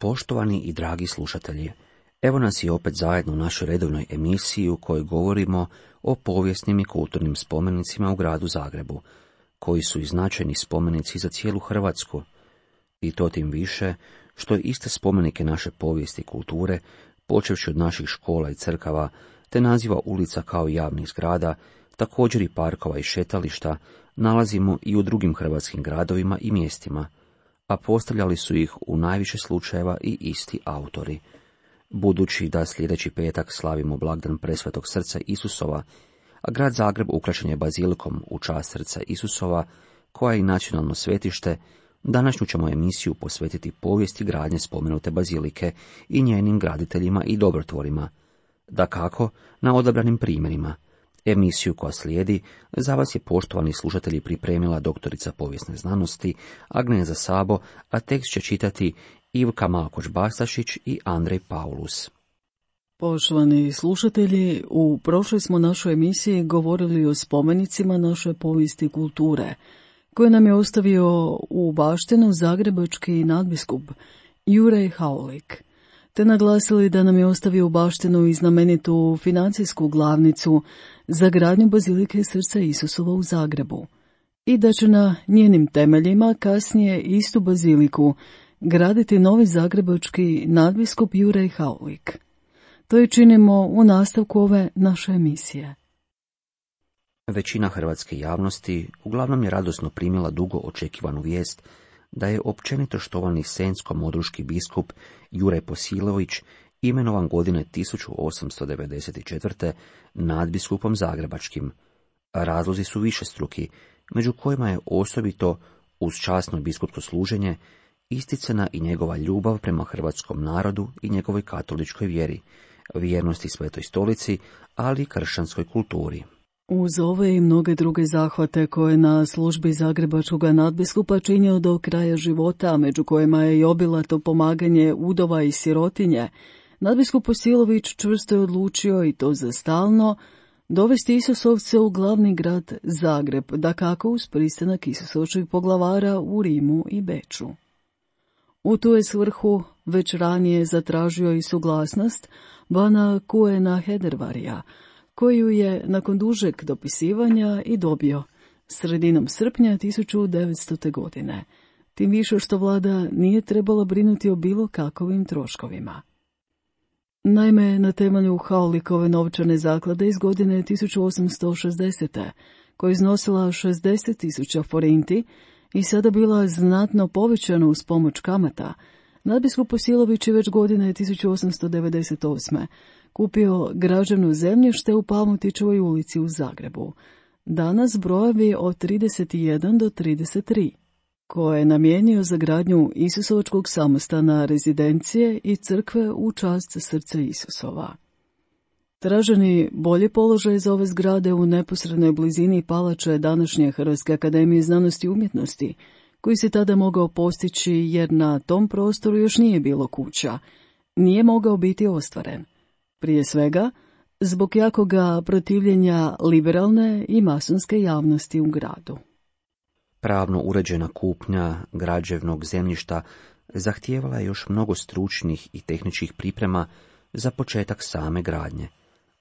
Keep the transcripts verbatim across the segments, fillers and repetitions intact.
Poštovani i dragi slušatelji, evo nas i opet zajedno u našoj redovnoj emisiji u kojoj govorimo o povijesnim i kulturnim spomenicima u gradu Zagrebu, koji su i značajni spomenici za cijelu Hrvatsku, i to tim više što iste spomenike naše povijesti i kulture, počevši od naših škola i crkava, te naziva ulica kao i javnih zgrada, također i parkova i šetališta, nalazimo i u drugim hrvatskim gradovima i mjestima, a postavljali su ih u najviše slučajeva i isti autori. Budući da sljedeći petak slavimo blagdan Presvetog srca Isusova, a grad Zagreb ukrašen je bazilikom u čast srca Isusova, koja je i nacionalno svetište, današnju ćemo emisiju posvetiti povijesti gradnje spomenute bazilike i njenim graditeljima i dobrotvorima, dakako na odabranim primjerima. Emisiju koja slijedi za vas je, poštovani slušatelji, pripremila doktorica povijesne znanosti Agneza Sabo, a tekst će čitati Ivka Malkoč-Bastašić i Andrej Paulus. Poštovani slušatelji, u prošloj smo našoj emisiji govorili o spomenicima naše povijesti i kulture, koje nam je ostavio u baštinu zagrebački nadbiskup Juraj Haulik, te naglasili da nam je ostavio u baštinu i znamenitu financijsku glavnicu za gradnju bazilike srca Isusova u Zagrebu i da će na njenim temeljima kasnije istu baziliku graditi novi zagrebački nadbiskup Juraj Haulik. To je činimo u nastavku ove naše emisije. Većina hrvatske javnosti uglavnom je radosno primila dugo očekivanu vijest da je općenito štovani senjsko-modruški biskup Juraj Posilović imenovan godine tisuću osamsto devedeset četvrte nadbiskupom zagrebačkim. Razlozi su višestruki, među kojima je osobito, uz časno biskupsko služenje, isticana i njegova ljubav prema hrvatskom narodu i njegovoj katoličkoj vjeri, vjernosti Svetoj stolici, ali i kršćanskoj kulturi. Uz ove i mnoge druge zahvate koje na službi zagrebačkog nadbiskupa činio do kraja života, među kojima je i obilato pomaganje udova i sirotinje, nadbiskup Posilović čvrsto je odlučio, i to za stalno, dovesti Isusovce u glavni grad Zagreb, dakako uz pristanak Isusovčeg poglavara u Rimu i Beču. U tu je svrhu već ranije zatražio i suglasnost bana Kuena Hedervarija, koju je nakon dužeg dopisivanja i dobio sredinom srpnja tisuću devetstote. godine, tim više što vlada nije trebala brinuti o bilo kakovim troškovima. Naime, na temelju Haulikove novčane zaklade iz godine tisuću osamsto šezdesete, koja je iznosila šezdeset tisuća forinti i sada bila znatno povećana uz pomoć kamata, nadbiskup Posilović je već godine tisuću osamsto devedeset osme. kupio građevno zemljište u Palmotićevoj ulici u Zagrebu, danas brojevi od trideset jedan do trideset tri, koje je namijenio za gradnju Isusovačkog samostana, rezidencije i crkve u čast srca Isusova. Traženi bolji položaj za ove zgrade u neposrednoj blizini palače današnje Hrvatske akademije znanosti i umjetnosti, koji se tada mogao postići jer na tom prostoru još nije bilo kuća, nije mogao biti ostvaren. Prije svega, zbog jakoga protivljenja liberalne i masonske javnosti u gradu. Pravno uređena kupnja građevnog zemljišta zahtijevala je još mnogo stručnih i tehničkih priprema za početak same gradnje.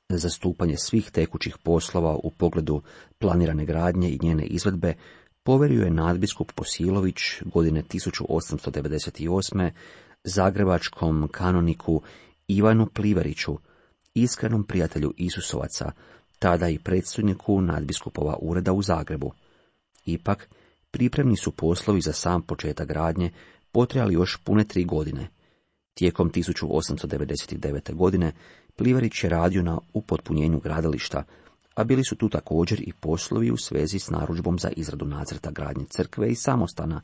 Zastupanje svih tekućih poslova u pogledu planirane gradnje i njene izvedbe poverio je nadbiskup Posilović godine tisuću osamsto devedeset osme. zagrebačkom kanoniku Ivanu Plivariću, iskrenom prijatelju Isusovaca, tada i predstojniku nadbiskupova ureda u Zagrebu. Ipak, pripremni su poslovi za sam početak gradnje potrajali još pune tri godine. Tijekom tisuću osamsto devedeset devete. godine Plivarić je radio na upotpunjenju gradilišta, a bili su tu također i poslovi u svezi s narudžbom za izradu nacrta gradnje crkve i samostana,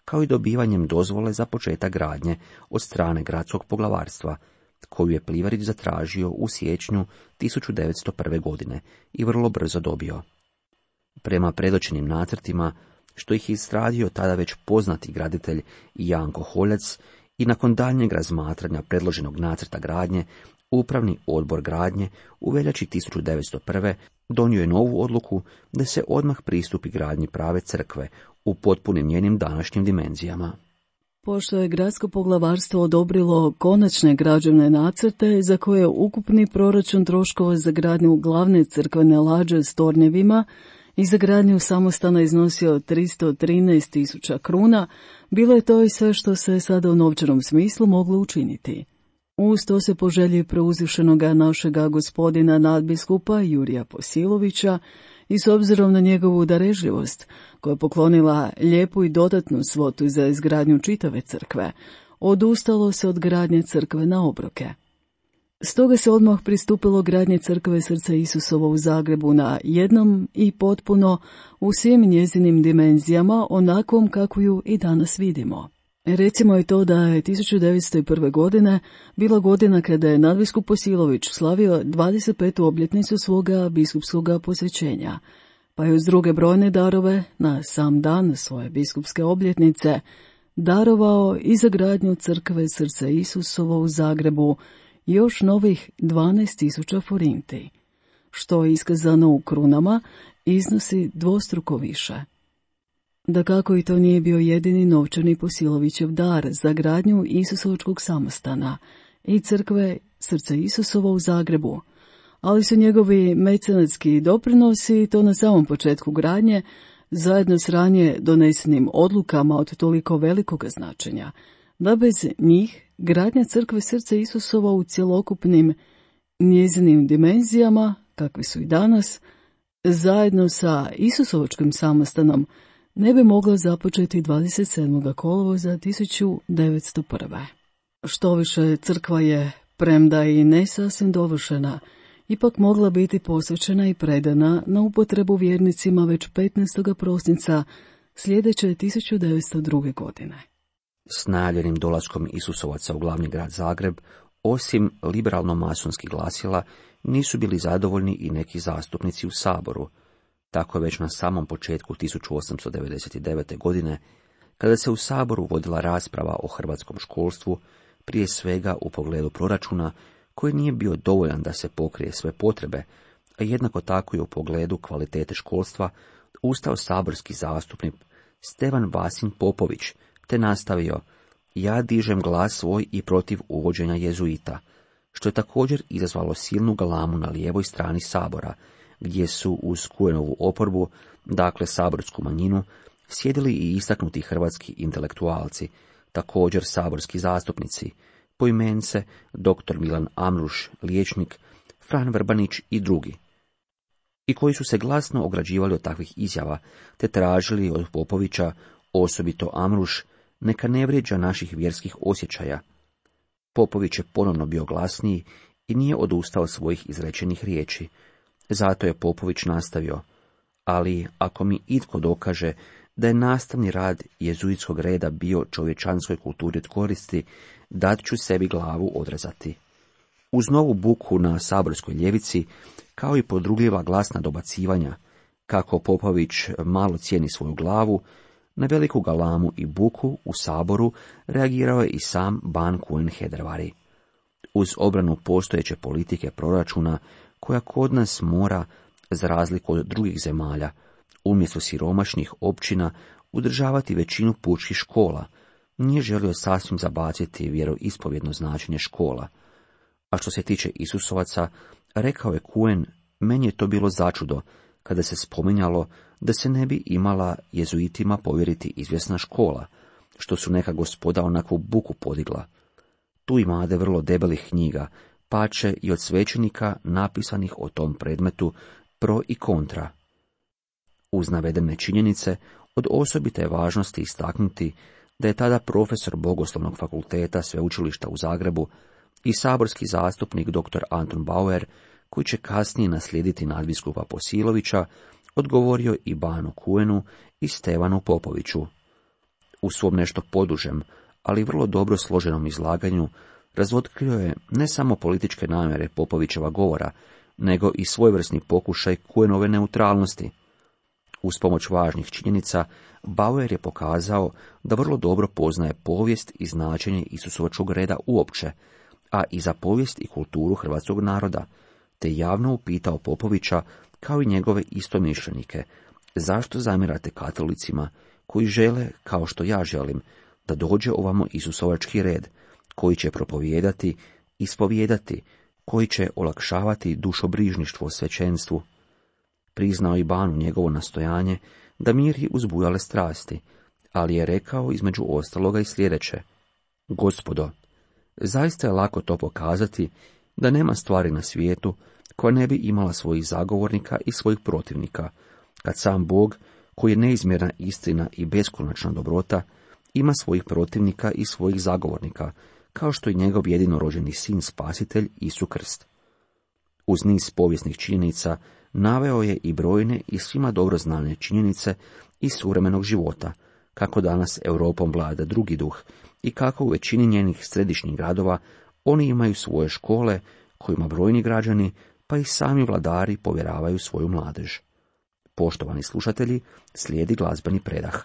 kao i dobivanjem dozvole za početak gradnje od strane gradskog poglavarstva, koju je Plivarić zatražio u siječnju tisuću devetsto prve. godine i vrlo brzo dobio. Prema predočenim nacrtima, što ih je izradio tada već poznati graditelj Janko Holjac, i nakon daljnjeg razmatranja predloženog nacrta gradnje, Upravni odbor gradnje u veljači tisuću devetsto prve. donio je novu odluku da se odmah pristupi gradnji prave crkve u potpunim njenim današnjim dimenzijama. Pošto je gradsko poglavarstvo odobrilo konačne građevne nacrte za koje je ukupni proračun troškova za gradnju glavne crkvene lađe s tornjevima i za gradnju samostana iznosio tristo trinaest tisuća kruna, bilo je to i sve što se sada u novčanom smislu moglo učiniti. Uz to se po želji preuzvišenoga našega gospodina nadbiskupa Jurija Posilovića i s obzirom na njegovu darežljivost, koja je poklonila lijepu i dodatnu svotu za izgradnju čitave crkve, odustalo se od gradnje crkve na obroke. Stoga se odmah pristupilo gradnje crkve Srca Isusova u Zagrebu na jednom i potpuno u svim njezinim dimenzijama, onakvom kako ju i danas vidimo. Recimo je to da je tisuću devetsto prve. godine bila godina kada je nadbiskup Posilović slavio dvadeset petu obljetnicu svoga biskupskog posvećenja, pa je uz druge brojne darove na sam dan svoje biskupske obljetnice darovao i za gradnju crkve Srca Isusova u Zagrebu još novih dvanaest tisuća forinti, što je iskazano u krunama iznosi dvostruko više. Dakako i to nije bio jedini novčani Posilovićev dar za gradnju Isusovačkog samostana i crkve Srca Isusova u Zagrebu, ali su njegovi mecenatski doprinosi, to na samom početku gradnje, zajedno s ranije donesenim odlukama od toliko velikog značenja, da bez njih gradnja crkve Srca Isusova u cjelokupnim njezinim dimenzijama, kakve su i danas, zajedno sa Isusovačkim samostanom, ne bi mogla započeti dvadeset sedmog kolovoza tisuću devetsto prve. Štoviše, crkva je, premda i ne sasvim dovršena, ipak mogla biti posvećena i predana na upotrebu vjernicima već petnaestog prosinca sljedeće tisuću devetsto druge. godine. S najavljenim dolaskom Isusovaca u glavni grad Zagreb, osim liberalno-masonskih glasila, nisu bili zadovoljni i neki zastupnici u Saboru. Tako je već na samom početku tisuću osamsto devedeset devete. godine, kada se u Saboru vodila rasprava o hrvatskom školstvu, prije svega u pogledu proračuna, koji nije bio dovoljan da se pokrije sve potrebe, a jednako tako i u pogledu kvalitete školstva, ustao saborski zastupnik Stevan Vasin Popović, te nastavio: ja dižem glas svoj i protiv uvođenja jezuita, što je također izazvalo silnu galamu na lijevoj strani Sabora, gdje su uz Kujenovu oporbu, dakle saborsku manjinu, sjedili i istaknuti hrvatski intelektualci, također saborski zastupnici, poimence doktor Milan Amruš, liječnik, Fran Vrbanić i drugi, i koji su se glasno ograđivali od takvih izjava, te tražili od Popovića, osobito Amruš, neka ne vrijeđa naših vjerskih osjećaja. Popović je ponovno bio glasniji i nije odustao od svojih izrečenih riječi. Zato je Popović nastavio: ali ako mi itko dokaže da je nastavni rad jezuitskog reda bio čovječanskoj kulturi od koristi, dat ću sebi glavu odrezati. Uz novu buku na saborskoj ljevici, kao i podrugljiva glasna dobacivanja, kako Popović malo cijeni svoju glavu, na veliku galamu i buku u Saboru reagirao je i sam ban Kuen Hedervari. Uz obranu postojeće politike proračuna, koja kod nas mora, za razliku od drugih zemalja, umjesto siromašnih općina udržavati većinu pučkih škola, nije želio sasvim zabaciti vjeroispovjedno značenje škola. A što se tiče Isusovaca, rekao je Kuen, meni je to bilo začudo kada se spominjalo da se ne bi imala jezuitima povjeriti izvjesna škola, što su neka gospoda onakvu buku podigla. Tu imade vrlo debelih knjiga, pače i od svećenika napisanih o tom predmetu pro i kontra. Uz navedene činjenice, od osobite je važnosti istaknuti da je tada profesor Bogoslovnog fakulteta Sveučilišta u Zagrebu i saborski zastupnik doktor Anton Bauer, koji će kasnije naslijediti nadbiskupa Posilovića, odgovorio i Banu Kuenu i Stevanu Popoviću. U svom nešto podužem, ali vrlo dobro složenom izlaganju, razotkrio je ne samo političke namjere Popovićeva govora, nego i svojevrsni pokušaj Kuenove neutralnosti. Uz pomoć važnih činjenica, Bauer je pokazao da vrlo dobro poznaje povijest i značenje Isusovačkog reda uopće, a i za povijest i kulturu hrvatskog naroda, te javno upitao Popovića, kao i njegove istomišljenike, zašto zamjerate katolicima koji žele, kao što ja želim, da dođe ovamo Isusovački red, koji će propovijedati, ispovijedati, koji će olakšavati dušobrižništvo svećenstvu. Priznao i Banu njegovo nastojanje da miri uzbujale strasti, ali je rekao između ostaloga i sljedeće: Gospodo, zaista je lako to pokazati da nema stvari na svijetu koja ne bi imala svojih zagovornika i svojih protivnika, kad sam Bog, koji je neizmjerna istina i beskonačna dobrota, ima svojih protivnika i svojih zagovornika, kao što i njegov jedinorođeni sin spasitelj Isus Krst. Uz niz povijesnih činjenica naveo je i brojne i svima dobro znane činjenice iz suvremenog života, kako danas Europom vlada drugi duh i kako u većini njenih središnjih gradova oni imaju svoje škole kojima brojni građani, pa i sami vladari povjeravaju svoju mladež. Poštovani slušatelji, slijedi glazbeni predah.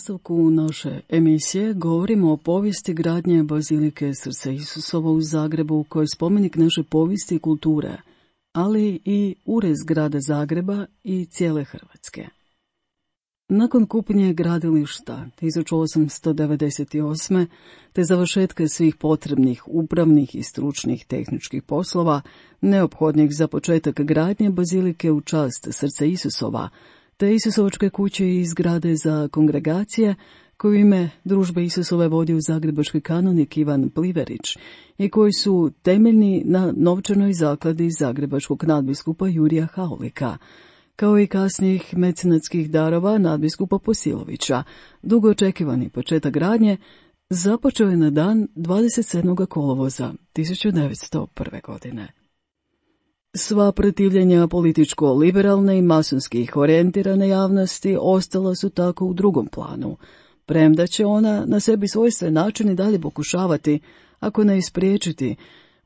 nastavku naše emisije govorimo o povijesti gradnje Bazilike Srca Isusova u Zagrebu, koji je spomenik naše povijesti i kulture, ali i urez grada Zagreba i cijele Hrvatske. Nakon kupnje gradilišta tisuću osamsto devedeset osme te završetka svih potrebnih upravnih i stručnih tehničkih poslova, neophodnih za početak gradnje Bazilike u čast Srca Isusova, te Isusovačke kuće i zgrade za kongregacije, koju ime Družbe Isusove vodio zagrebački kanonik Ivan Pliverić i koji su temeljni na novčanoj zakladi zagrebačkog nadbiskupa Jurija Haulika, kao i kasnijih mecenatskih darova nadbiskupa Posilovića. Dugo očekivani početak gradnje započeo je na dan dvadeset sedmog kolovoza tisuću devetsto prve. godine. Sva protivljenja političko-liberalne i masonskih orijentirane javnosti ostala su tako u drugom planu, premda će ona na sebi svojstven način i dalje pokušavati, ako ne ispriječiti,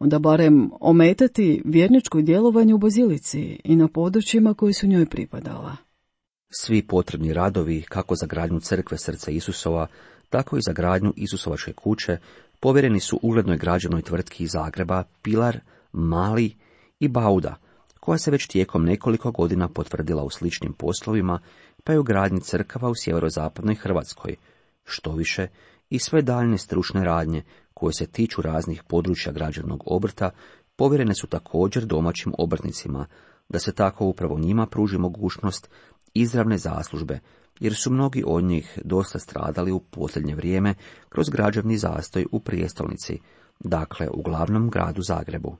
onda barem ometati vjerničko djelovanje u bazilici i na područjima koji su njoj pripadala. Svi potrebni radovi, kako za gradnju crkve Srca Isusova, tako i za gradnju Isusovačke kuće, povjereni su uglednoj građevnoj tvrtki iz Zagreba Pilar, Mali i Bauda, koja se već tijekom nekoliko godina potvrdila u sličnim poslovima, pa i u gradnji crkava u sjeverozapadnoj Hrvatskoj. Štoviše, i sve daljne stručne radnje, koje se tiču raznih područja građevnog obrta, povjerene su također domaćim obrtnicima, da se tako upravo njima pruži mogućnost izravne zaslužbe, jer su mnogi od njih dosta stradali u posljednje vrijeme kroz građevni zastoj u prijestolnici, dakle u glavnom gradu Zagrebu.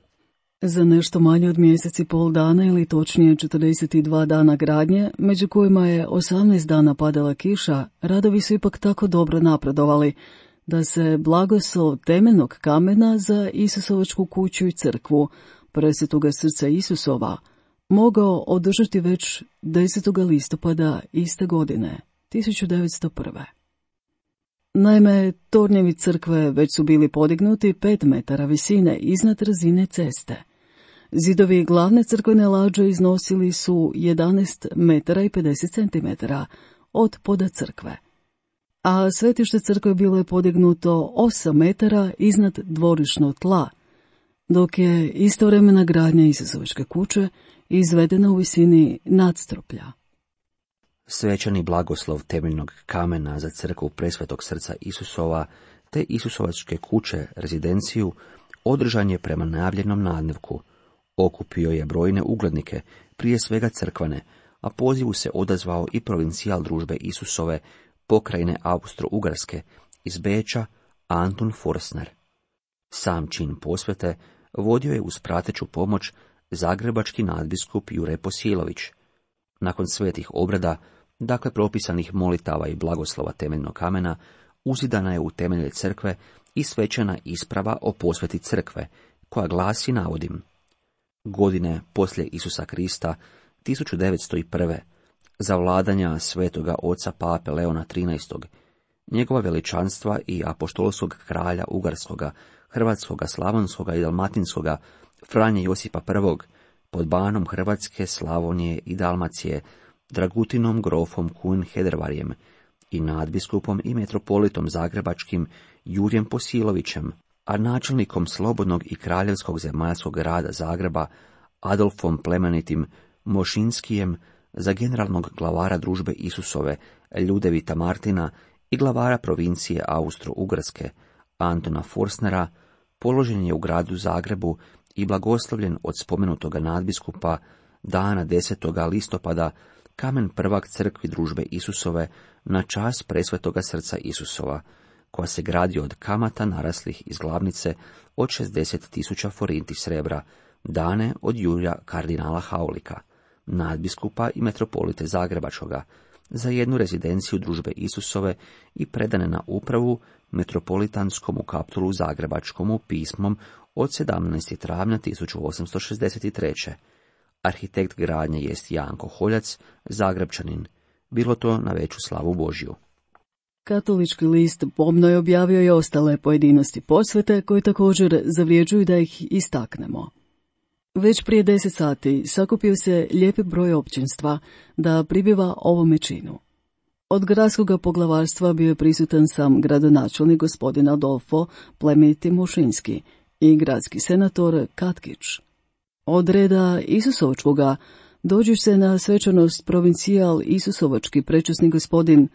Za nešto manje od mjesec i pol dana, ili točnije četrdeset dva dana gradnje, među kojima je osamnaest dana padala kiša, radovi su ipak tako dobro napredovali da se blagoslov temeljnog kamena za Isusovačku kuću i crkvu Presvetoga Srca Isusova mogao održati već desetog listopada iste godine, tisuću devetsto prve. Naime, tornjevi crkve već su bili podignuti pet metara visine iznad razine ceste. Zidovi glavne crkvene lađe iznosili su jedanaest metara i pedeset centimetara od poda crkve, a svetište crkve bilo je podignuto osam metara iznad dvorišnog tla, dok je istovremena gradnja Isusovačke kuće izvedena u visini nadstruplja. Svečani blagoslov temeljnog kamena za crkvu Presvetog Srca Isusova te Isusovačke kuće rezidenciju održan je prema najavljenom nadnevku. Okupio je brojne uglednike, prije svega crkvene, a pozivu se odazvao i provincijal družbe Isusove pokrajine Austro-Ugarske iz Beča Antun Forstner. Sam čin posvete vodio je uz prateću pomoć zagrebački nadbiskup Jure Posilović. Nakon svetih obrada, dakle propisanih molitava i blagoslova temeljnog kamena, uzidana je u temelje crkve i svečana isprava o posveti crkve, koja glasi, navodim: godine poslije Isusa Krista, tisuću devetsto prve, za vladanja svetoga oca pape Leona trinaestog, njegova veličanstva i apoštolskog kralja Ugarskoga, Hrvatskoga, Slavonskoga i Dalmatinskoga, Franje Josipa prvog, pod banom Hrvatske, Slavonije i Dalmacije, Dragutinom grofom Kun Hedervarjem i nadbiskupom i metropolitom zagrebačkim Jurjem Posilovićem, a načelnikom slobodnog i kraljevskog zemaljskog grada Zagreba Adolfom plemenitim Mošinskijem, za generalnog glavara družbe Isusove Ljudevita Martina i glavara provincije Austro-Ugarske Antona Forstnera, položen je u gradu Zagrebu i blagoslovljen od spomenutoga nadbiskupa dana desetog listopada kamen prvak crkvi družbe Isusove na čast Presvetoga Srca Isusova, koja se gradi od kamata naraslih iz glavnice od šezdeset tisuća forinti srebra, dane od Jurja kardinala Haulika, nadbiskupa i metropolite Zagrebačkoga, za jednu rezidenciju družbe Isusove i predane na upravu metropolitanskom u kaptulu Zagrebačkomu pismom od sedamnaestog travnja tisuću osamsto šezdeset treće. Arhitekt gradnje jest Janko Holjac, Zagrebčanin, bilo to na veću slavu Božju. Katolički list pomno je objavio i ostale pojedinosti posvete, koje također zavrijeđuju da ih istaknemo. Već prije deset sati sakupio se lijepi broj općinstva da pribiva ovome činu. Od gradskog poglavarstva bio je prisutan sam gradonačelnik gospodin Adolfo plemeniti Mošinski i gradski senator Katkić. Od reda Isusovačkoga dođu se na svečanost provincijal Isusovački prečasni gospodin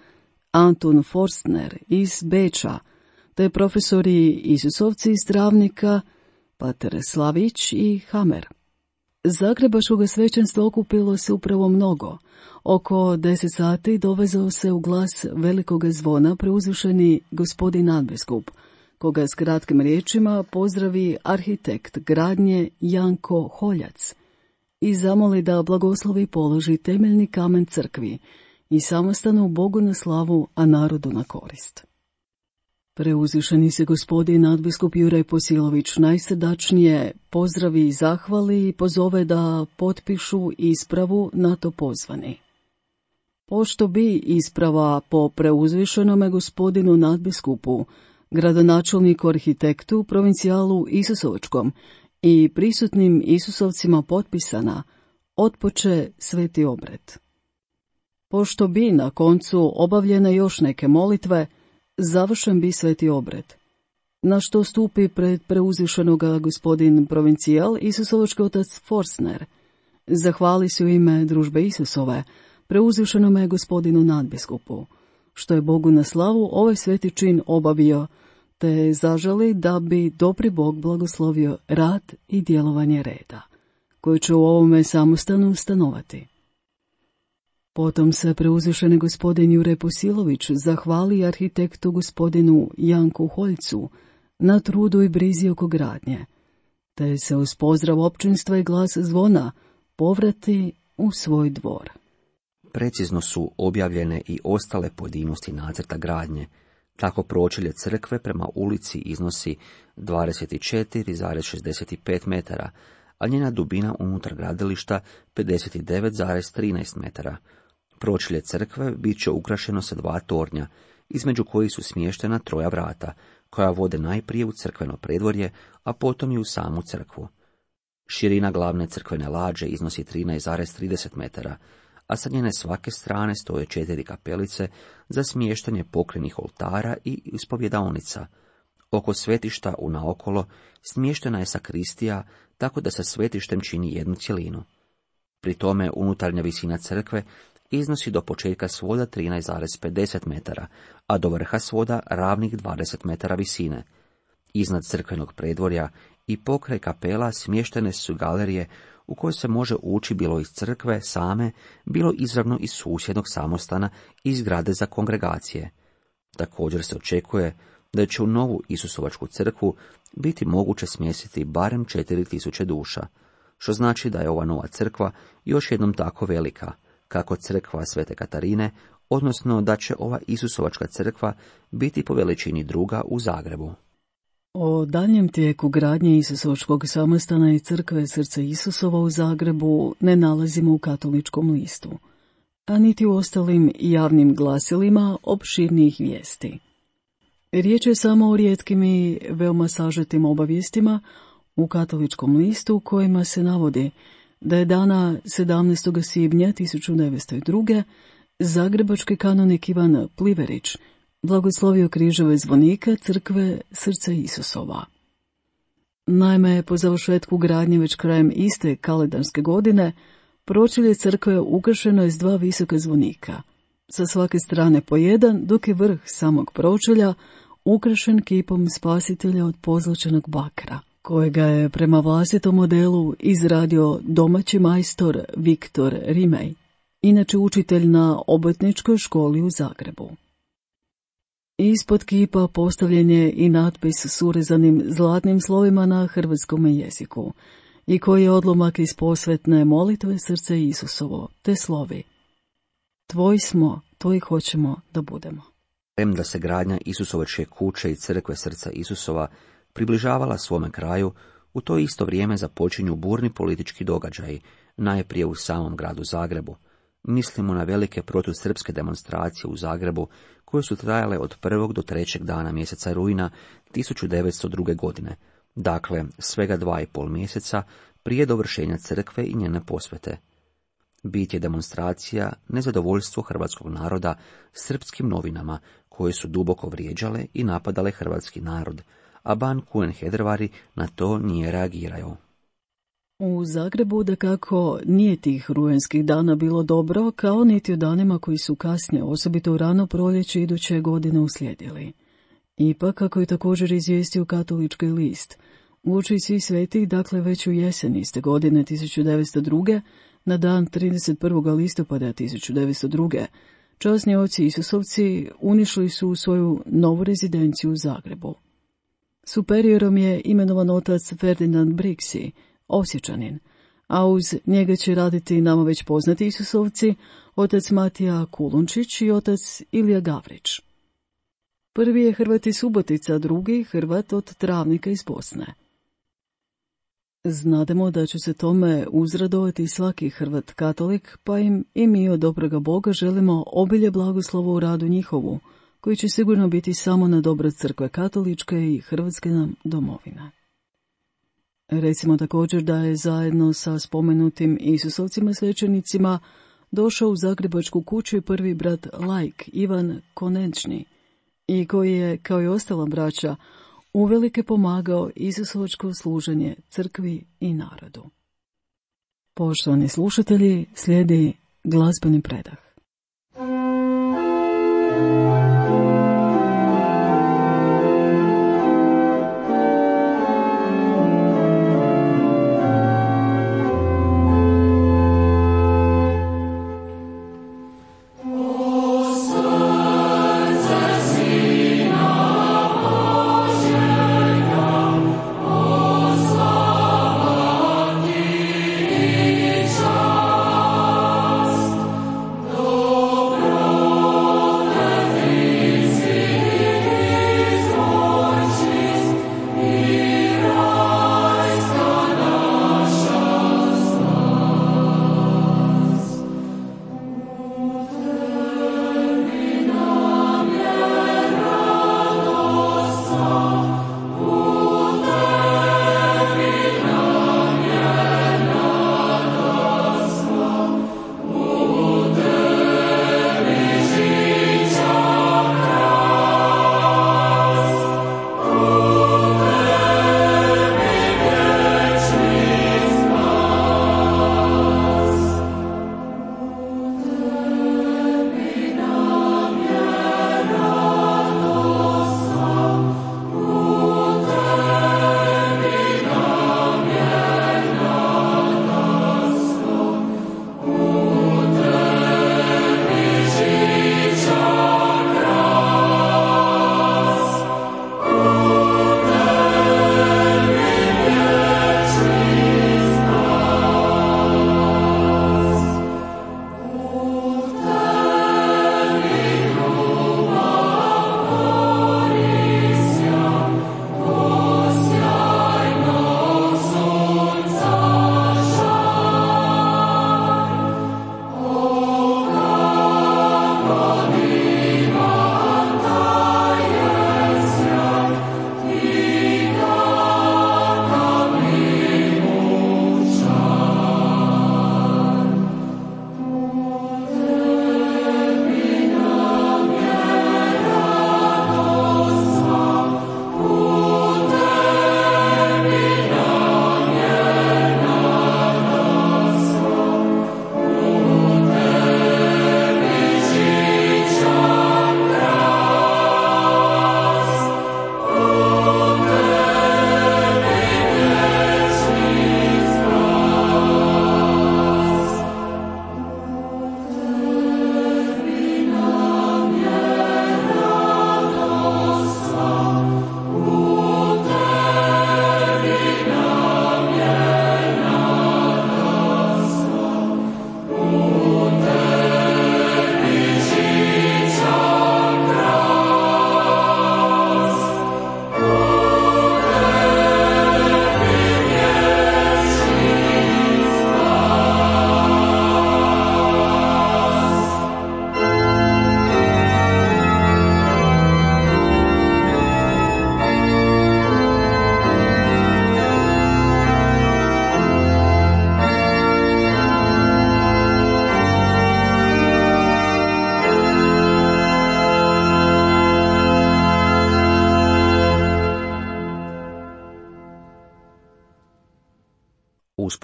Antun Forstner iz Beča, te profesori Isusovci iz Travnika, pater Slavić i Hamer. Zagrebačkoga svećenstva okupilo se upravo mnogo. Oko deset sati dovezao se u glas velikoga zvona preuzvišeni gospodin nadbiskup, koga s kratkim riječima pozdravi arhitekt gradnje Janko Holjac i zamoli da blagoslovi položi temeljni kamen crkvi i samostanu Bogu na slavu, a narodu na korist. Preuzvišeni se gospodin nadbiskup Jure Posilović najsrdačnije pozdravi i zahvali i pozove da potpišu ispravu na to pozvani. Pošto bi isprava po preuzvišenome gospodinu nadbiskupu, gradonačelniku arhitektu, provincijalu Isusovačkom i prisutnim Isusovcima potpisana otpoče sveti obred. Pošto bi na koncu obavljene još neke molitve, završen bi sveti obred, na što stupi pred preuzvišenoga gospodin provincijal Isusovački otac Forsner, zahvali se u ime družbe Isusove preuzvišenome gospodinu nadbiskupu, što je Bogu na slavu ovaj sveti čin obavio, te zaželi da bi dobri Bog blagoslovio rad i djelovanje reda, koji će u ovome samostanu stanovati. Potom se preuzvišeni gospodin Jure Posilović zahvali arhitektu gospodinu Janku Holjcu na trudu i brizi oko gradnje, te se uz pozdrav općinstva i glas zvona povrati u svoj dvor. Precizno su objavljene i ostale pojedinosti nacrta gradnje. Tako pročelje crkve prema ulici iznosi dvadeset četiri zarez šezdeset pet metara, a njena dubina unutar gradilišta pedeset devet zarez trinaest metara. Pročelje crkve bit će ukrašeno sa dva tornja, između kojih su smještena troja vrata, koja vode najprije u crkveno predvorje, a potom i u samu crkvu. Širina glavne crkvene lađe iznosi trinaest zarez trideset metara, a sa njene svake strane stoje četiri kapelice za smještanje pokrenih oltara i ispovjedaonica. Oko svetišta unaokolo smještena je sakristija, tako da sa svetištem čini jednu cjelinu. Pri tome unutarnja visina crkve iznosi do početka svoda trinaest zarez pedeset metara, a do vrha svoda ravnih dvadeset metara visine. Iznad crkvenog predvorja i pokraj kapela smještene su galerije u kojoj se može ući bilo iz crkve same, bilo izravno iz susjednog samostana i zgrade za kongregacije. Također se očekuje da će u novu Isusovačku crkvu biti moguće smjestiti barem četiri tisuće duša, što znači da je ova nova crkva još jednom tako velika, kako crkva Svete Katarine, odnosno da će ova Isusovačka crkva biti po veličini druga u Zagrebu. O daljem tijeku gradnje Isusovačkog samostana i crkve Srca Isusova u Zagrebu ne nalazimo u Katoličkom listu, a niti u ostalim javnim glasilima opširnijih vijesti. Riječ je samo o rijetkim i veoma sažetim obavijestima u Katoličkom listu u kojima se navodi da je dana sedamnaestog svibnja tisuću devetsto druge. zagrebački kanonik Ivan Pliverić blagoslovio križeve zvonika crkve Srca Isusova. Naime, po završetku gradnje već krajem iste kalendarske godine, pročelje crkve ukrašeno je s dva visoka zvonika, sa svake strane po jedan, dok je vrh samog pročelja ukrašen kipom spasitelja od pozlačenog bakra, kojega je prema vlastitom modelu izradio domaći majstor Viktor Rimej, inače učitelj na obrtničkoj školi u Zagrebu. Ispod kipa postavljen je i natpis s urezanim zlatnim slovima na hrvatskom jeziku, i koji je odlomak iz posvetne molitve Srca Isusovo, te slovi: Tvoj smo, tvoj hoćemo da budemo. Premda se gradnja Isusovačke kuće i crkve Srca Isusova približavala svome kraju, u to isto vrijeme započinju burni politički događaji, najprije u samom gradu Zagrebu. Mislimo na velike protusrpske demonstracije u Zagrebu, koje su trajale od prvog do trećeg dana mjeseca rujna tisuću devetsto druge. godine, dakle svega dva i pol mjeseca prije dovršenja crkve i njene posvete. Bit je demonstracija nezadovoljstvo hrvatskog naroda srpskim novinama, koje su duboko vrijeđale i napadale hrvatski narod, a ban Kunen Hedrvari na to nije reagirao. U Zagrebu dakako nije tih rujanskih dana bilo dobro, kao niti u danima koji su kasnije, osobito u rano proljeće iduće godine, uslijedili. Ipak, kako je također izvijestio Katolički list, uoči Svih svetih, dakle već u jesen iste godine tisuću devetsto druge. na dan trideset prvog listopada tisuću devetsto druge. časni oci Isusovci unišli su svoju novu rezidenciju u Zagrebu. Superiorom je imenovan otac Ferdinand Brixi, Osječanin, a uz njega će raditi nama već poznati Isusovci, otac Matija Kulunčić i otac Ilija Gavrić. Prvi je Hrvat iz Subotica, drugi Hrvat od Travnika iz Bosne. Znademo da će se tome uzradovati svaki Hrvat katolik, pa im i mi od dobroga Boga želimo obilje blagoslova u radu njihovu, koji će sigurno biti samo na dobro crkve katoličke i Hrvatske nam domovine. Recimo također da je zajedno sa spomenutim Isusovcima svećenicima došao u Zagrebačku kuću i prvi brat laik Ivan Konečni, i koji je, kao i ostala braća, uvelike pomagao Isusovačko služenje crkvi i narodu. Poštovani slušatelji, slijedi glazbeni predah.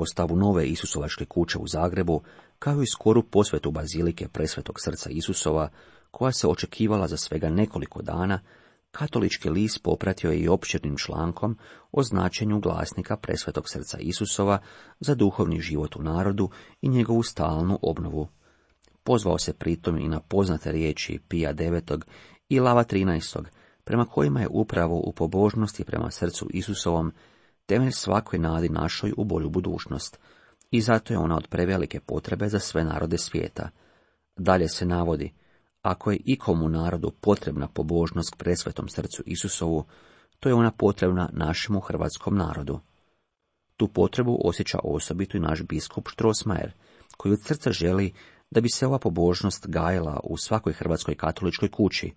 uspostavu nove Isusovačke kuće u Zagrebu, kao i skoru posvetu bazilike Presvetog srca Isusova, koja se očekivala za svega nekoliko dana, katolički list popratio je i opširnim člankom o značenju glasnika Presvetog srca Isusova za duhovni život u narodu i njegovu stalnu obnovu. Pozvao se pritom i na poznate riječi Pija devetog i Lava trinaestog, prema kojima je upravo u pobožnosti prema srcu Isusovom temelj svakoj nadi našoj u bolju budućnost, i zato je ona od prevelike potrebe za sve narode svijeta. Dalje se navodi: ako je ikomu narodu potrebna pobožnost k presvetom srcu Isusovu, to je ona potrebna našemu hrvatskom narodu. Tu potrebu osjeća osobito i naš biskup Strossmayer, koji od srca želi da bi se ova pobožnost gajila u svakoj hrvatskoj katoličkoj kući.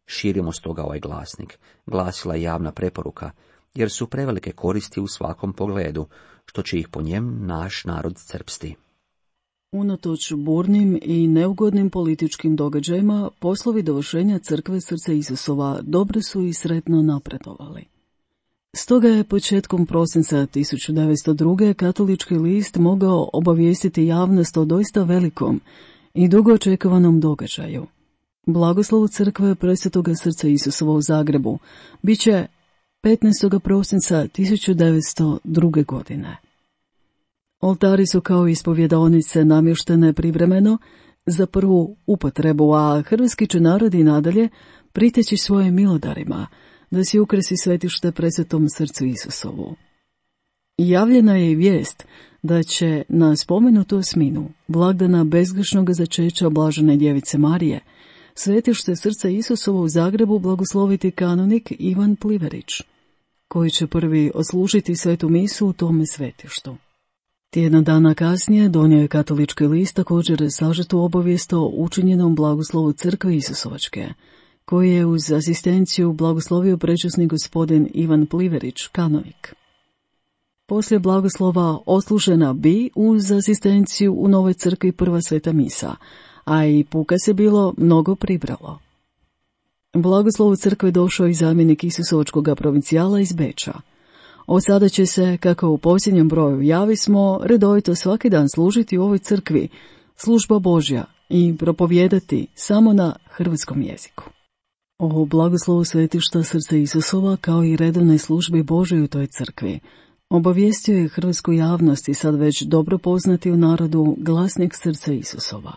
Širimo stoga ovaj glasnik, glasila je javna preporuka, jer su prevelike koristi u svakom pogledu, što će ih po njem naš narod crpsti. Unatoč burnim i neugodnim političkim događajima, poslovi dovršenja crkve Srca Isusova dobro su i sretno napredovali. Stoga je početkom prosinca tisuću devetsto druge. katolički list mogao obavijestiti javnost o doista velikom i dugo očekovanom događaju. Blagoslov crkve Presvetoga Srca Isusova u Zagrebu bit će petnaestog prosinca tisuću devetsto druge. godine. Oltari su kao ispovjedaonice namještene privremeno za prvu upotrebu, a hrvatski će narod i nadalje priteći svojim milodarima da si ukrasi svetište Presvetom Srcu Isusovu. Javljena je i vijest da će na spomenutu osminu blagdana bezgrešnog začeća Blažene djevice Marije svetište Srca Isusova u Zagrebu blagosloviti kanonik Ivan Pliverić, koji će prvi odslužiti svetu misu u tome svetištu. Tjedan dana kasnije donio je katolički list također sažetu obavijest o učinjenom blagoslovu crkve Isusovačke, koji je uz asistenciju blagoslovio prečasni gospodin Ivan Pliverić, kanonik. Poslije blagoslova odslužena bi uz asistenciju u novoj crkvi prva sveta misa, a i puka se bilo mnogo pribralo. Blagoslovu crkve došao i zamjenik Isusovačkog provincijala iz Beča. Od sada će se, kako u posljednjem broju javismo, redovito svaki dan služiti u ovoj crkvi služba Božja i propovijedati samo na hrvatskom jeziku. O blagoslovu svetišta Srca Isusova kao i redovnoj službi Božoj u toj crkvi obavijestio je hrvatsku javnost i sad već dobro poznati u narodu glasnik Srca Isusova.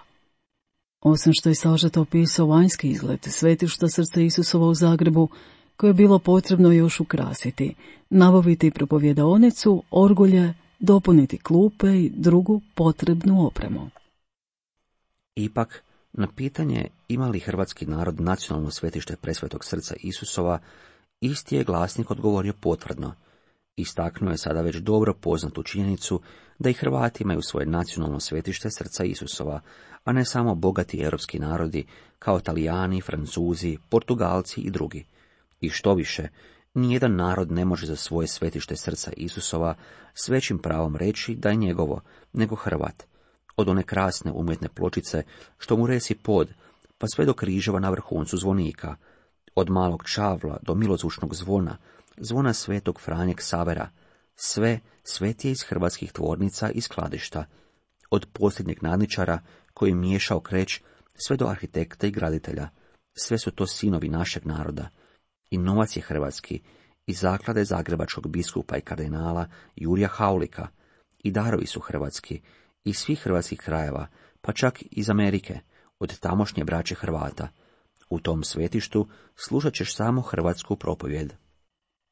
Osim što je sažeto opisao vanjski izgled svetišta Srca Isusova u Zagrebu, koje je bilo potrebno još ukrasiti, nabaviti propovjedaonicu, orgulje, dopuniti klupe i drugu potrebnu opremu. Ipak, na pitanje ima li hrvatski narod nacionalno svetište Presvetog Srca Isusova, isti je glasnik odgovorio potvrdno. Istaknuo je sada već dobro poznatu činjenicu da i Hrvati imaju svoje nacionalno svetište Srca Isusova, a ne samo bogati europski narodi kao Talijani, Francuzi, Portugalci i drugi. I što više, nijedan narod ne može za svoje svetište Srca Isusova s većim pravom reći da je njegovo, nego Hrvat. Od one krasne umjetne pločice što mu resi pod, pa sve do križeva na vrhuncu zvonika, od malog čavla do milozvučnog zvona, zvona svetog Franje Ksavera, sve svet je iz hrvatskih tvornica i skladišta, od posljednjeg nadničara koji miješao kreć, sve do arhitekta i graditelja, sve su to sinovi našeg naroda. I novac je hrvatski, i zaklade zagrebačkog biskupa i kardinala Jurija Haulika, i darovi su hrvatski, iz svih hrvatskih krajeva, pa čak iz Amerike, od tamošnje braće Hrvata. U tom svetištu slušat ćeš samo hrvatsku propovjed.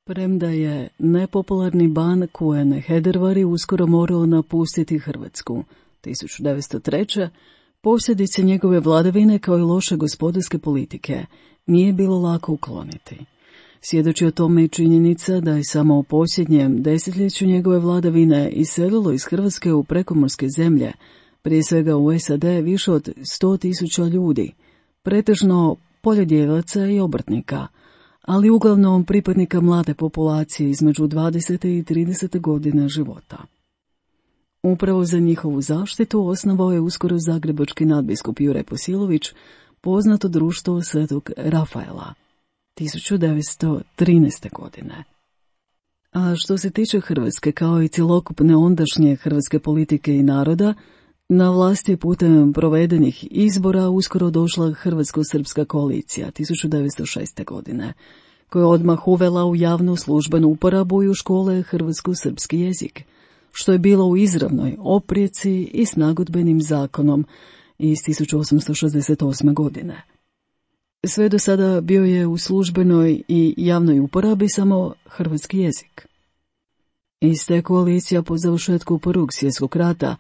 Premda je nepopularni ban Kuen Hedervari uskoro morao napustiti Hrvatsku tisuću devetsto treće. posljedice njegove vladavine kao i loše gospodarske politike nije bilo lako ukloniti. Svjedoči o tome i činjenica da je samo u posljednjem desetljeću njegove vladavine iselilo iz Hrvatske u prekomorske zemlje, prije svega u S A D više od sto tisuća ljudi, pretežno poljodjevaca i obrtnika, ali uglavnom pripadnika mlade populacije između dvadesete i tridesete godine života. Upravo za njihovu zaštitu osnovao je uskoro zagrebački nadbiskup Jure Posilović poznato društvo Svetog Rafaela tisuću devetsto trinaeste. godine. A što se tiče Hrvatske, kao i cjelokupne ondašnje hrvatske politike i naroda, na vlasti putem provedenih izbora uskoro došla Hrvatsko-srpska koalicija tisuću devetsto šeste. godine, koja je odmah uvela u javnu službenu uporabu i u škole hrvatsko-srpski jezik, što je bilo u izravnoj oprijeci i s nagodbenim zakonom iz tisuću osamsto šezdeset osme. godine. Sve do sada bio je u službenoj i javnoj uporabi samo hrvatski jezik. Iste koalicija po završetku Prvog svjetskog rata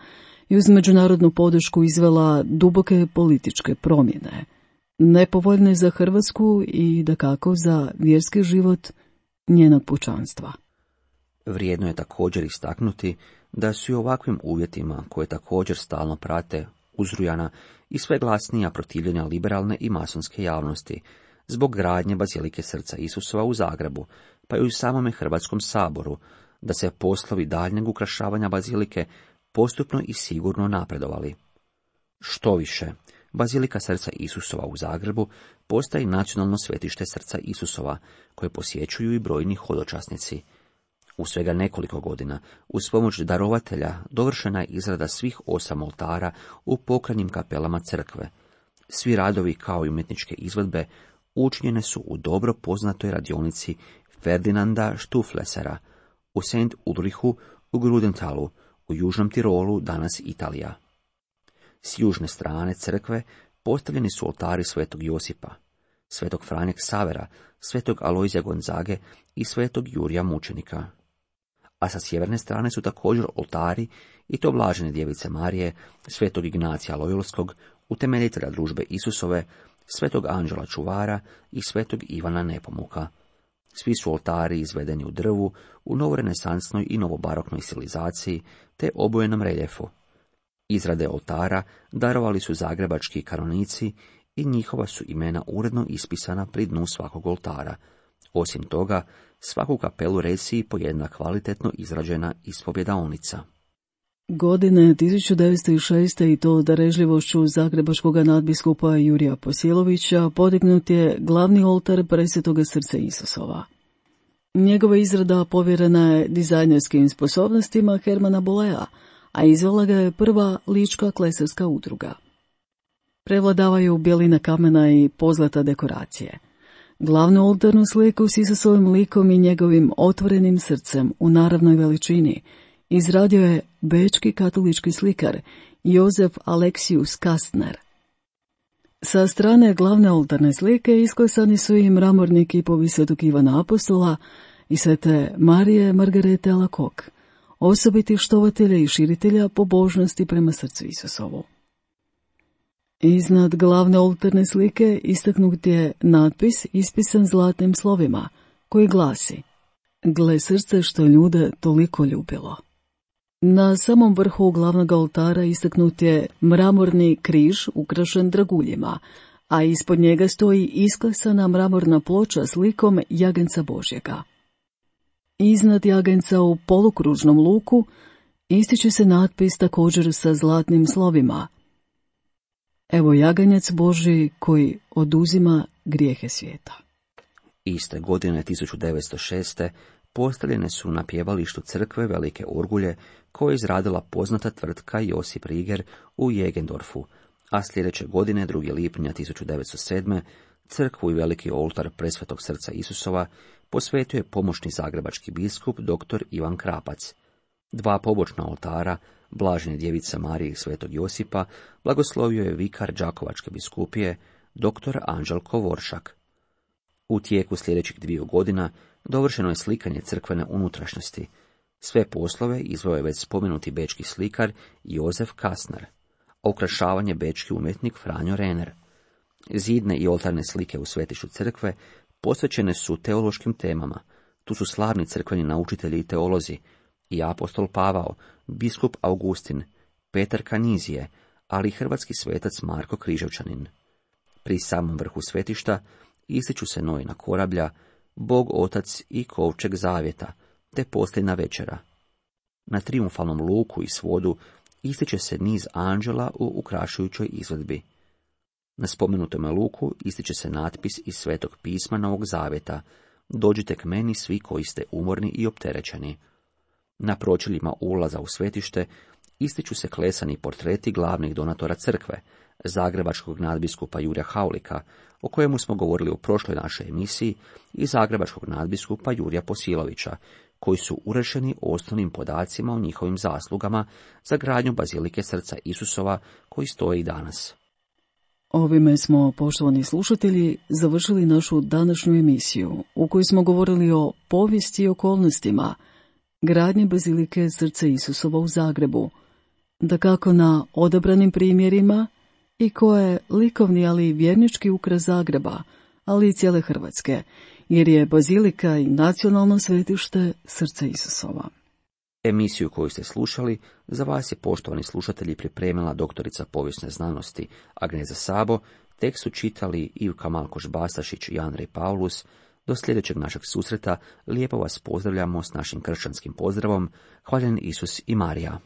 i uz međunarodnu podršku izvela duboke političke promjene, nepovoljne za Hrvatsku i dakako za vjerski život njenog pučanstva. Vrijedno je također istaknuti da su i ovakvim uvjetima, koje također stalno prate uzrujana i sve glasnija protivljenja liberalne i masonske javnosti, zbog gradnje bazilike Srca Isusova u Zagrebu, pa i u samome Hrvatskom saboru, da se poslovi daljnjeg ukrašavanja bazilike postupno i sigurno napredovali. Što više, bazilika Srca Isusova u Zagrebu postaje nacionalno svetište Srca Isusova, koje posjećuju i brojni hodočasnici. U svega nekoliko godina, uz pomoć darovatelja, dovršena je izrada svih osam oltara u pokretnim kapelama crkve. Svi radovi, kao i umjetničke izvedbe, učinjene su u dobro poznatoj radionici Ferdinanda Stuflesera u Saint Ulrichu u Grudentalu, u Južnom Tirolu, danas Italija. S južne strane crkve postavljeni su oltari svetog Josipa, svetog Franje Ksavera, svetog Alojzija Gonzage i svetog Jurija Mučenika. A sa sjeverne strane su također oltari i to Blažene djevice Marije, svetog Ignacija Lojolskog, utemeljitelja družbe Isusove, svetog Anđela Čuvara i svetog Ivana Nepomuka. Svi su oltari izvedeni u drvu, u novorenesansnoj i novobaroknoj stilizaciji, te obojenom reljefu. Izrade oltara darovali su zagrebački kanonici i njihova su imena uredno ispisana pri dnu svakog oltara. Osim toga, svaku kapelu resi po jedna kvalitetno izrađena ispovjedaonica. Godine tisuću devetsto šeste i to darežljivošću zagrebačkog nadbiskupa Jurija Posjelovića podignut je glavni oltar Presvetoga Srca Isusova. Njegova izrada povjerena je dizajnerskim sposobnostima Hermana Bolea, a izvela ga je prva lička klesarska udruga. Prevladavaju bjelina kamena i pozlata dekoracije. Glavnu oltarnu sliku s Isusovim likom i njegovim otvorenim srcem u naravnoj veličini izradio je bečki katolički slikar Jozef Aleksius Kastner. Sa strane glavne oltarne slike isklesani su i mramorni kipovi svetog Ivana Apostola i svete Marije Margarete Alacoque, osobitih štovatelja i širitelja pobožnosti prema Srcu Isusovu. Iznad glavne oltarne slike istaknut je natpis ispisan zlatnim slovima, koji glasi: "Gle srce što ljude toliko ljubilo." Na samom vrhu glavnog oltara istaknut je mramorni križ ukrašen draguljima, a ispod njega stoji isklesana mramorna ploča s likom jaganjca Božjega. Iznad jaganjca u polukružnom luku ističe se natpis također sa zlatnim slovima: "Evo jaganjac Božji koji oduzima grijehe svijeta." Iste godine tisuću devetsto šeste postavljene su na pjevalištu crkve velike orgulje koje je izradila poznata tvrtka Josip Riger u Jegendorfu, a sljedeće godine, drugog lipnja tisuću devetsto sedme, crkvu i veliki oltar Presvetog Srca Isusova posvetio je pomoćni zagrebački biskup dr. Ivan Krapac. Dva pobočna oltara, Blažene djevice Marije i svetog Josipa, blagoslovio je vikar Đakovačke biskupije, dr. Anđelko Voršak. U tijeku sljedećih dviju godina dovršeno je slikanje crkvene unutrašnjosti. Sve poslove izveo je već spomenuti bečki slikar Jozef Kastner, a ukrašavanje bečki umjetnik Franjo Rener. Zidne i oltarne slike u svetištu crkve posvećene su teološkim temama. Tu su slavni crkveni naučitelji i teolozi, i apostol Pavao, biskup Augustin, Petar Kanizije, ali i hrvatski svetac Marko Križevčanin. Pri samom vrhu svetišta ističu se Noina korablja, Bog Otac i kovčeg zavjeta, te posljedna večera. Na trijumfalnom luku i svodu ističe se niz anđela u ukrašujućoj izvedbi. Na spomenutome luku ističe se natpis iz Svetog pisma Novog zavjeta: "Dođite k meni svi koji ste umorni i opterećeni." Na pročeljima ulaza u svetište ističu se klesani portreti glavnih donatora crkve, zagrebačkog nadbiskupa Jurja Haulika, o kojemu smo govorili u prošloj našoj emisiji, i zagrebačkog nadbiskupa Jurija Posilovića, koji su urešeni osnovnim podacima o njihovim zaslugama za gradnju bazilike Srca Isusova, koji stoji i danas. Ovime smo, poštovani slušatelji, završili našu današnju emisiju, u kojoj smo govorili o povijesti i okolnostima gradnje bazilike Srca Isusova u Zagrebu, dakako na odabranim primjerima i koje je likovni, ali i vjernički ukras Zagreba, ali i cijele Hrvatske, jer je bazilika i nacionalno svetište Srca Isusova. Emisiju koju ste slušali za vas je, poštovani slušatelji, pripremila doktorica povijesne znanosti Agneza Sabo, Tekst su čitali Ivka Malkoš-Bastašić i Andrej Paulus. Do sljedećeg našeg susreta lijepo vas pozdravljamo s našim kršćanskim pozdravom. Hvaljen Isus i Marija.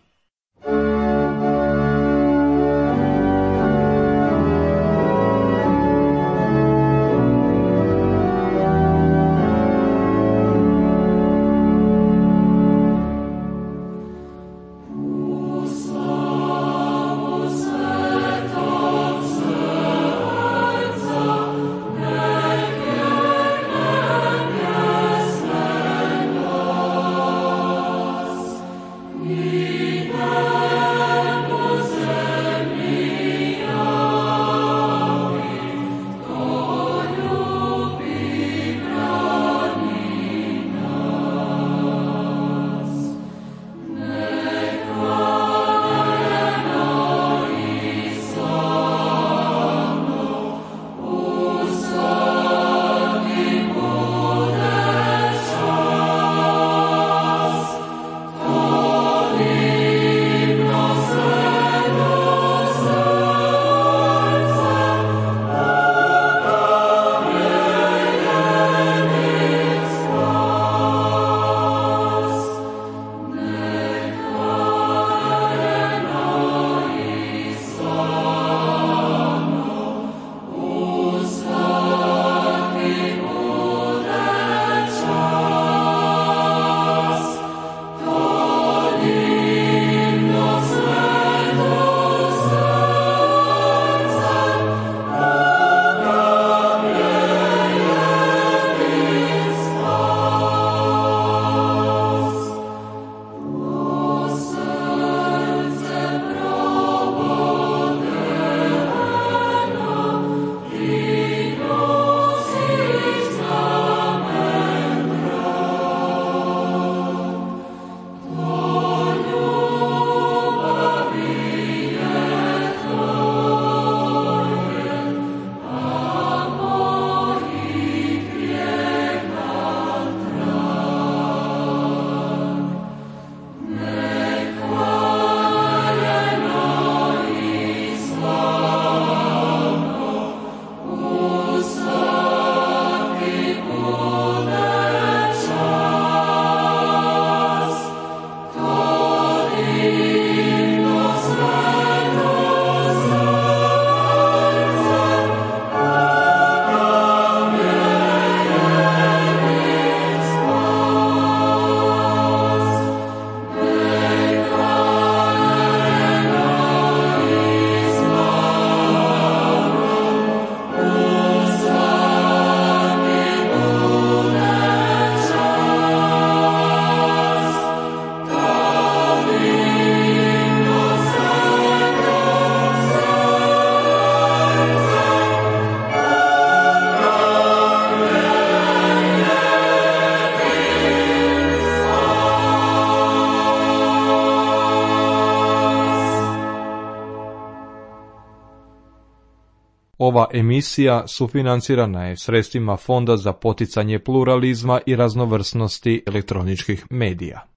Ova emisija sufinancirana je sredstvima Fonda za poticanje pluralizma i raznovrsnosti elektroničkih medija.